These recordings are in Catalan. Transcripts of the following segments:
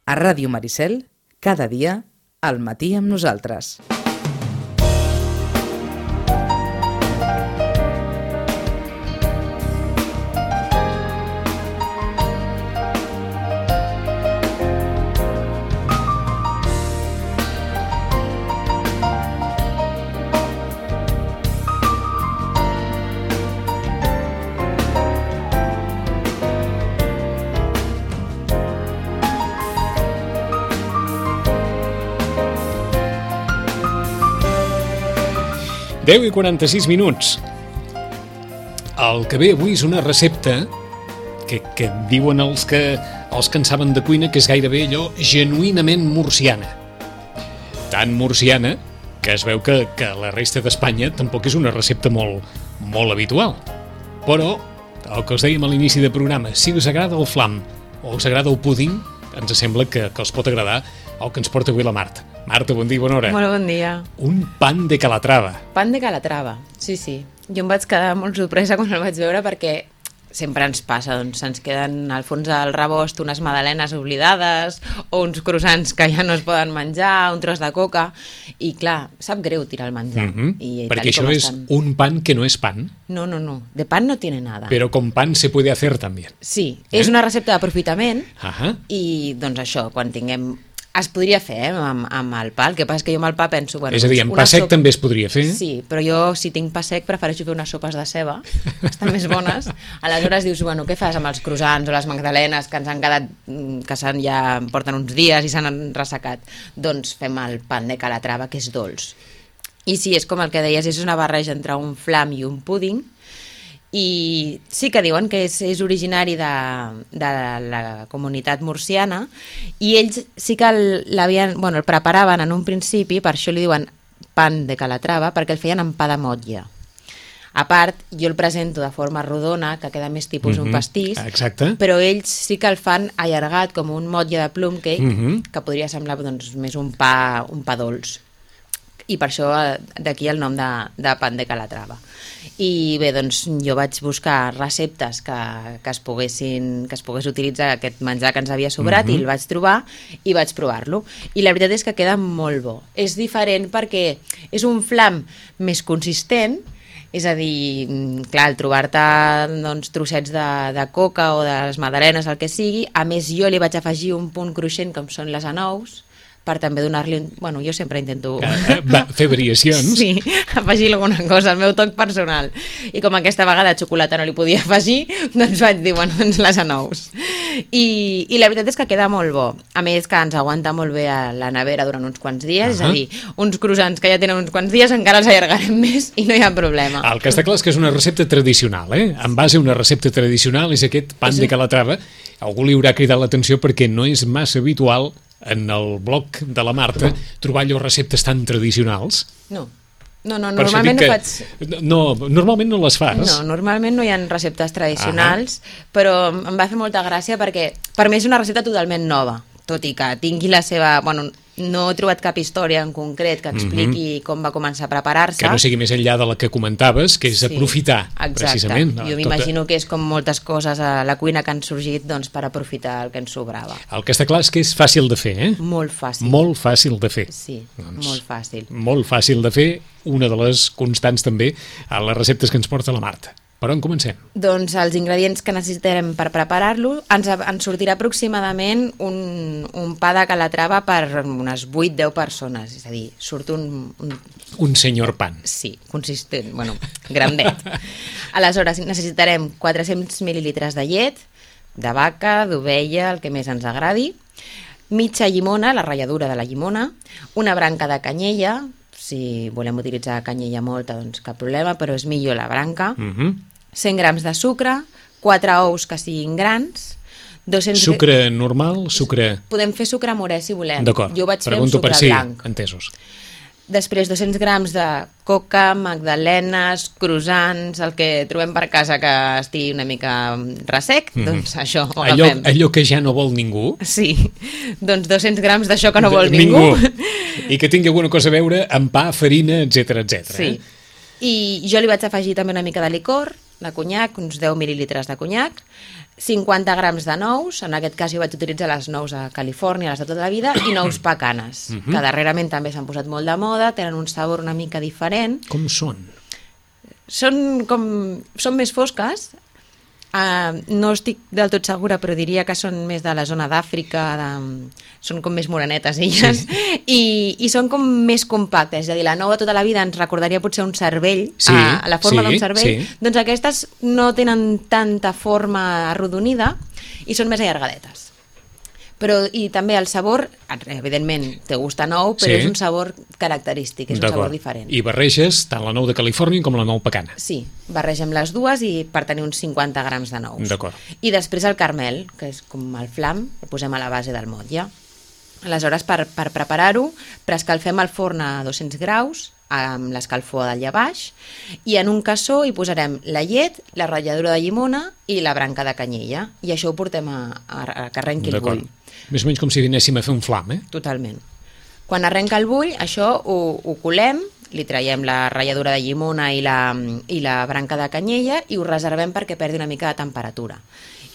A Ràdio Maricel, cada dia, al matí amb nosaltres. Deu i 46 minuts. El que ve avui és una recepta que diuen els que en saben de cuina que és gairebé allò genuïnament murciana. Tan murciana que es veu que la resta d'Espanya tampoc és una recepta molt habitual. Però, el que us dèiem a l'inici del programa, si us agrada el flam o us agrada el púding, ens sembla que els pot agradar el que ens porta avui la Marta. Marta, bon dia i bona hora. Molt bon dia. Un pan de Calatrava. Pan de Calatrava, sí. Jo em vaig quedar molt sorpresa quan el vaig veure perquè sempre ens passa, doncs se'ns queden al fons del rebost unes magdalenes oblidades o uns croissants que ja no es poden menjar, un tros de coca, i clar, sap greu tirar el menjar. Perquè això és un pan que no és pan. No, de pan no tiene nada. Però con pan se puede hacer también. Sí, és una recepta d'aprofitament i doncs això, quan tinguem... Es podria fer amb el pa, el que passa és que jo amb el pa penso... Bueno, és a dir, amb pa sec també es podria fer. Sí, però jo si tinc pa sec prefereixo fer unes sopes de ceba, estan més bones. Aleshores dius, bueno, què fas amb els croissants o les magdalenes que ens han quedat, que ja porten uns dies i s'han ressecat? Doncs fem el pan de Calatrava, que és dolç. I sí, és com el que deies, és una barreja entre un flam i un púding, i sí que diuen que és originari de la comunitat murciana, i ells sí que el preparaven en un principi, per això li diuen pan de Calatrava, perquè el feien amb pa de motlla. A part, jo el presento de forma rodona, que queda més tipus un pastís, però ells sí que el fan allargat com un motlle de plum cake, que podria semblar doncs, més un pa dolç. I per això d'aquí el nom de pan de Calatrava. I bé, doncs jo vaig buscar receptes que es pogués utilitzar aquest menjar que ens havia sobrat, i el vaig trobar i vaig provar-lo. I la veritat és que queda molt bo. És diferent perquè és un flam més consistent, és a dir, clar, al trobar-te doncs, trossets de coca o de les magdalenes, el que sigui, a més jo li vaig afegir un punt cruixent com són les anous, per també donar-li... Bueno, jo sempre intento... fer variacions. Sí, afegir alguna cosa, el meu toc personal. I com aquesta vegada xocolata no li podia afegir, doncs vaig dir, bueno, doncs les anous. I la veritat és que queda molt bo. A més que ens aguanta molt bé a la nevera durant uns quants dies, és a dir, uns croissants que ja tenen uns quants dies encara els allargarem més i no hi ha problema. El que està clar és que és una recepta tradicional, En base a una recepta tradicional és aquest pan de Calatrava. Algú li haurà cridat l'atenció perquè no és massa habitual en el blog de la Marta trobar allò receptes tan tradicionals. No, normalment no faig... Normalment no les fas. No, normalment no hi ha receptes tradicionals, però em va fer molta gràcia perquè per mi és una recepta totalment nova, tot i que tingui la seva... Bueno, no he trobat cap història en concret que expliqui com va començar a preparar-se. Que no sigui més enllà de la que comentaves, que és aprofitar, precisament. Jo m'imagino que és com moltes coses a la cuina que han sorgit doncs, per aprofitar el que ens sobrava. El que està clar és que és fàcil de fer, Molt fàcil. Molt fàcil de fer. Sí, molt fàcil. Molt fàcil de fer, una de les constants també a les receptes que ens porta la Marta. Per on comencem? Doncs els ingredients que necessitarem per preparar-lo ens sortirà aproximadament un pa de Calatrava per unes 8-10 persones, és a dir, surt un senyor pan. Sí, consistent, grandet. Aleshores necessitarem 400 mil·lilitres de llet, de vaca, d'ovella, el que més ens agradi, mitja llimona, la ratlladura de la llimona, una branca de canyella. Si volem utilitzar canyella molta, doncs cap problema, però és millor la branca. 100 grams de sucre, 4 ous que siguin grans, 200... Sucre normal, sucre... Podem fer sucre morè si volem. D'acord, jo vaig fer un pregunto sucre per si, blanc. entesos. Després 200 grams de coca, magdalenes, croissants, el que trobem per casa que estigui una mica ressec, doncs això ho agafem. Allò que ja no vol ningú. Sí, doncs 200 grams d'això que no vol ningú. I que tingui alguna cosa a veure amb pa, farina, etc. Sí, i jo li vaig afegir també una mica de licor, de conyac, uns 10 mil·lilitres de conyac, 50 grams de nous, en aquest cas jo vaig utilitzar les nous a Califòrnia, les de tota la vida, i nous pecanes, que darrerament també s'han posat molt de moda, tenen un sabor una mica diferent. Com són? Són més fosques, no estic del tot segura, però diria que són més de la zona d'Àfrica, són com més morenetes elles, i són com més compactes, és a dir, la nou de tota la vida ens recordaria potser un cervell, la forma d'un cervell, doncs aquestes no tenen tanta forma arrodonida i són més allargadetes. I també el sabor, evidentment, té gust a nou, però és un sabor característic, és un sabor diferent. I barreges tant la nou de Califòrnia com la nou pecana. Sí, barregem les dues i per tenir uns 50 grams de nous. D'acord. I després el caramel, que és com el flam, el posem a la base del motlle. Aleshores, per preparar-ho, preescalfem el forn a 200 graus, amb l'escalfor d'allà baix, i en un cassó hi posarem la llet, la ratlladura de llimona i la branca de canyella, i això ho portem a que arrenqui el bull. Més o menys com si vinéssim a fer un flam, Totalment. Quan arrenca el bull, això ho colem, li traiem la ratlladura de llimona i la branca de canyella i ho reservem perquè perdi una mica de temperatura.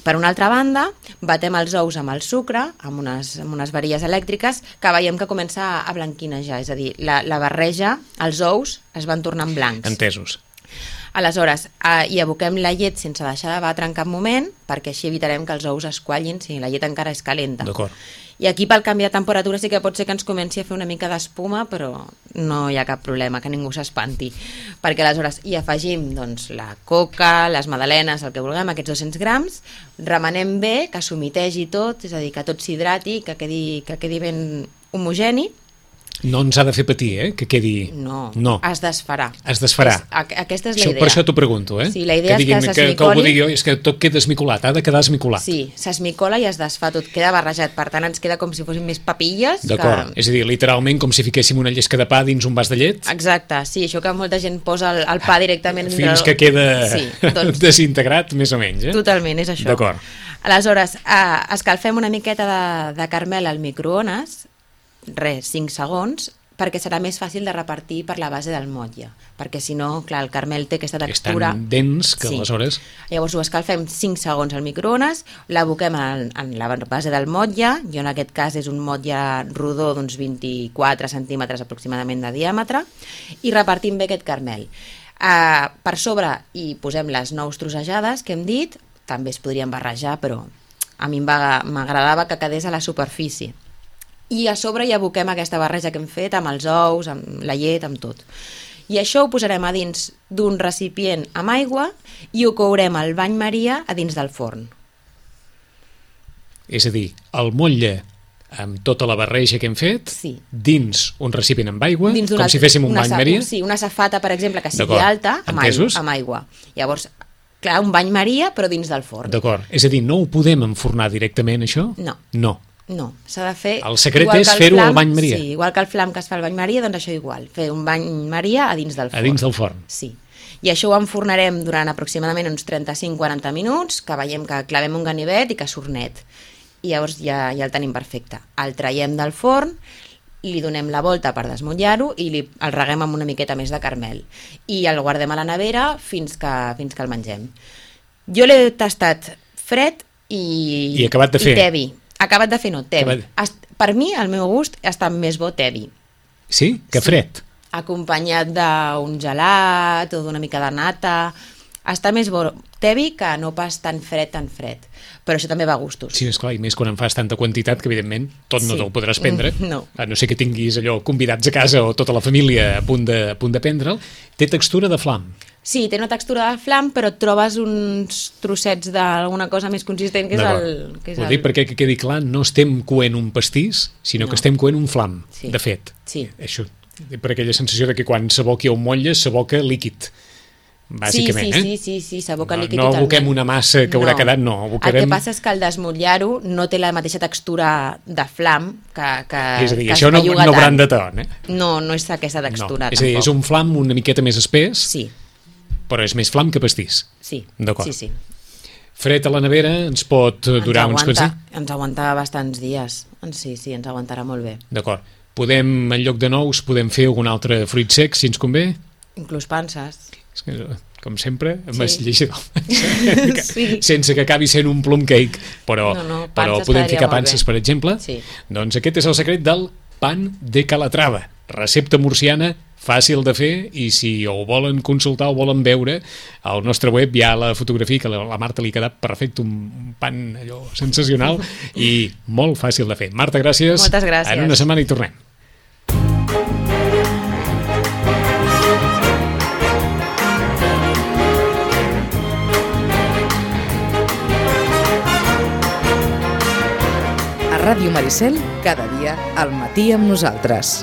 Per una altra banda, batem els ous amb el sucre, amb unes varilles elèctriques, que veiem que comença a blanquinejar, és a dir, la barreja, els ous es van tornant blancs. Entesos. Aleshores, hi aboquem la llet sense deixar de batre en cap moment, perquè així evitarem que els ous es quallin si la llet encara és calenta. D'acord. I aquí pel canvi de temperatura sí que pot ser que ens comenci a fer una mica d'espuma, però no hi ha cap problema, que ningú s'espanti, perquè aleshores hi afegim doncs, la coca, les magdalenes, el que vulguem, aquests 200 grams, remenem bé, que s'humitegi tot, és a dir, que tot s'hidrati, que quedi ben homogeni. No ens ha de fer patir, que quedi... No, es desfarà. Es desfarà. Aquesta és la idea. Per això t'ho pregunto, Sí, la idea és que s'esmicoli... Que algú digui, és que tot queda esmicolat, ha de quedar esmicolat. Sí, s'esmicola i es desfà, tot queda barrejat, per tant ens queda com si fossin més papilles. D'acord, és a dir, literalment com si fiquéssim una llesca de pa dins un vas de llet. Exacte, sí, això que molta gent posa el pa directament... Fins que queda desintegrat, més o menys. Totalment, és això. D'acord. Aleshores, escalfem una miqueta de caramel al microones, 5 segons, perquè serà més fàcil de repartir per la base del motlle, perquè si no, clar, el caramel té aquesta textura... És tan dens que aleshores... Llavors ho escalfem 5 segons al microones, l'aboquem en la base del motlle, jo en aquest cas és un motlle rodó d'uns 24 centímetres aproximadament de diàmetre, i repartim bé aquest caramel. Per sobre hi posem les nous trossejades que hem dit, també es podrien barrejar, però a mi m'agradava que quedés a la superfície. I a sobre hi aboquem aquesta barreja que hem fet amb els ous, amb la llet, amb tot. I això ho posarem a dins d'un recipient amb aigua i ho courem al bany Maria a dins del forn. És a dir, el motlle amb tota la barreja que hem fet, dins un recipient amb aigua, com si féssim un bany Maria. Sí, una safata, per exemple, que sigui alta, amb aigua. Llavors, clar, un bany Maria, però dins del forn. D'acord, és a dir, no ho podem enfornar directament, això? No, s'ha de fer... El secret és fer-ho al bany Maria. Sí, igual que el flam que es fa al bany Maria, doncs això igual, fer un bany Maria a dins del forn. A dins del forn. Sí. I això ho enfornarem durant aproximadament uns 35-40 minuts, que veiem que clavem un ganivet i que surt net. I llavors ja el tenim perfecte. El traiem del forn, li donem la volta per desmotllar-ho i el reguem amb una miqueta més de caramel. I el guardem a la nevera fins que el mengem. Jo l'he tastat fred i acabat de fer. I tebi. Acabat de fer, no, tebi. Per mi, al meu gust, està més bo tebi. Sí? Que fred? Acompanyat d'un gelat o d'una mica de nata. Està més bo tebi que no pas tan fred. Però això també va a gustos. Sí, esclar, i més quan en fas tanta quantitat que, evidentment, tot no te'l podràs prendre. No. A no ser que tinguis allò convidats a casa o tota la família a punt de prendre'l. Té textura de flam. Sí, té una textura de flam, però et trobes uns trossets d'alguna cosa més consistent, que és el... Ho dic perquè que quedi clar, no estem coent un pastís, sinó que estem coent un flam, de fet. Sí. Això, per aquella sensació de que quan s'aboqui un motlle, s'aboca líquid, bàsicament. Sí, s'aboca líquid totalment. No totalment. aboquem una massa que haurà quedat, no. El que passa és que al desmotllar-ho no té la mateixa textura de flam que és a dir, això no bran de ton, No és aquesta textura, tampoc. És a dir, és un flam una miqueta més espès, sí, però és més flam que pastís. Sí, d'acord. Sí. Fred a la nevera ens pot durar uns quants dies? Ens aguanta bastants dies. Sí, ens aguantarà molt bé. D'acord. Podem, en lloc de nous, podem fer algun altre fruit sec, si ens convé? Inclús panses. És que com sempre, Sí. m'has llegit el Sí. sense que acabi sent un plum cake, però, No, però panses podem quedaria ficar molt panses, bé. per exemple. Sí. Doncs aquest és el secret del pan de Calatrava, recepta murciana, fàcil de fer, i si ho volen consultar o volen veure, al nostre web hi ha la fotografia que a la Marta li ha quedat perfecte, un pan allò sensacional i molt fàcil de fer. Marta, gràcies. Moltes gràcies. En una setmana hi tornem. A Ràdio Maricel, cada dia al matí amb nosaltres.